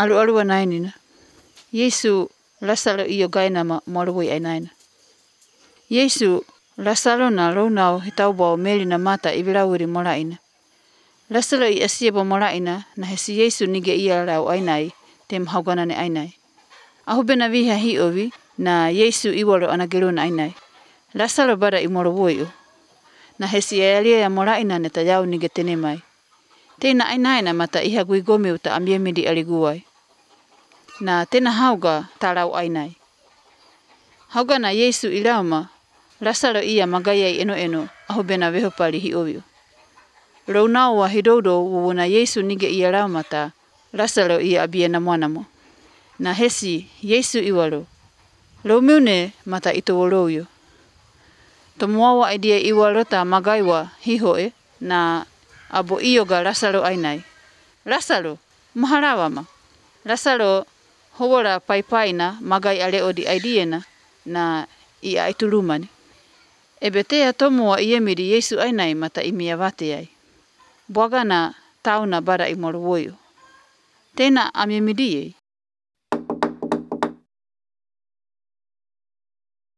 alualua nainina. Yesu Lasalo iyo gainama moaluvui ainaina. Yesu Lasalo na lounau hitaubau melina mata ivilauiri molaina. Lasalo I asiebo molaina na hesi Yesu nige ia lau ainai tem hauganane ainai. Ahubena viha hiovi na Yesu iwalo anageluna ainai. Lasalo bada imolovui na hesi alia molaina neta yau nige tenemai. Tena ainaina mata iha guigome uta amiemidi aliguai. Na tena hauga talau ainai. Hauga na Yesu ilauma, Lasalo ia magayai eno ahubena vehopali hioviu. Lounau wa hidoudo wuna Yesu nige ia laumata, Lasalo ia abiena mwanamo. Na hesi Yesu iwalo. Lomiune mata itowoloyo. Tomuawa idea iwalo ta magaiwa hihoe na abo iyoga Lasalo ainai. Lasalo, maharawama. Lasalo howola paipaina magai aleodi aidiena na ia itulumani. Ebetea tomua iemidi Yesu ainai mata imia vateai. Bwagana tauna bara imolowoyo. Tena amiemidie.